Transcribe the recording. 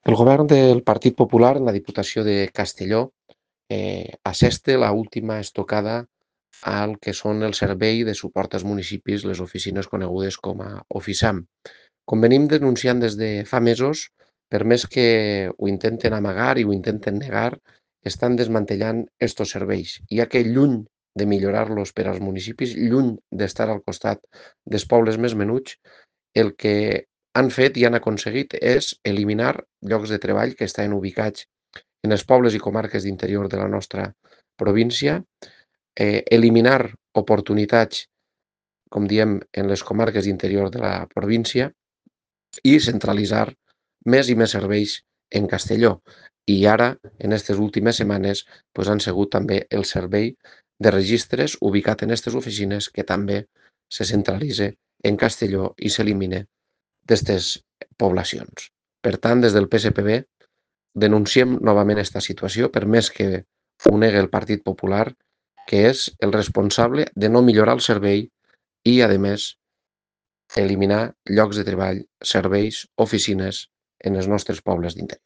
El govern del Partit Popular en la Diputació de Castelló assesta l'última estocada al que són el servei de suport als municipis, les oficines conegudes com a Oficam. Com venim denunciant des de fa mesos, per més que ho intenten amagar i ho intenten negar, estan desmantellant estos serveis, ja que lluny de millorar-los per als municipis, lluny d'estar al costat dels pobles més menuts, el que han fet i han aconseguit és eliminar llocs de treball que estaven ubicats en els pobles i comarques d'interior de la nostra província, eliminar oportunitats, com diem, en les comarques d'interior de la província i centralitzar més i més serveis en Castelló. I ara, en aquestes últimes setmanes, han sigut també el servei de registres ubicat en aquestes oficines que també se centralitza en Castelló i s'elimina d'aquestes poblacions. Per tant, des del PSPB denunciem novament aquesta situació, per més que ho negui el Partit Popular, que és el responsable de no millorar el servei i, a més, eliminar llocs de treball, serveis, oficines en els nostres pobles d'interior.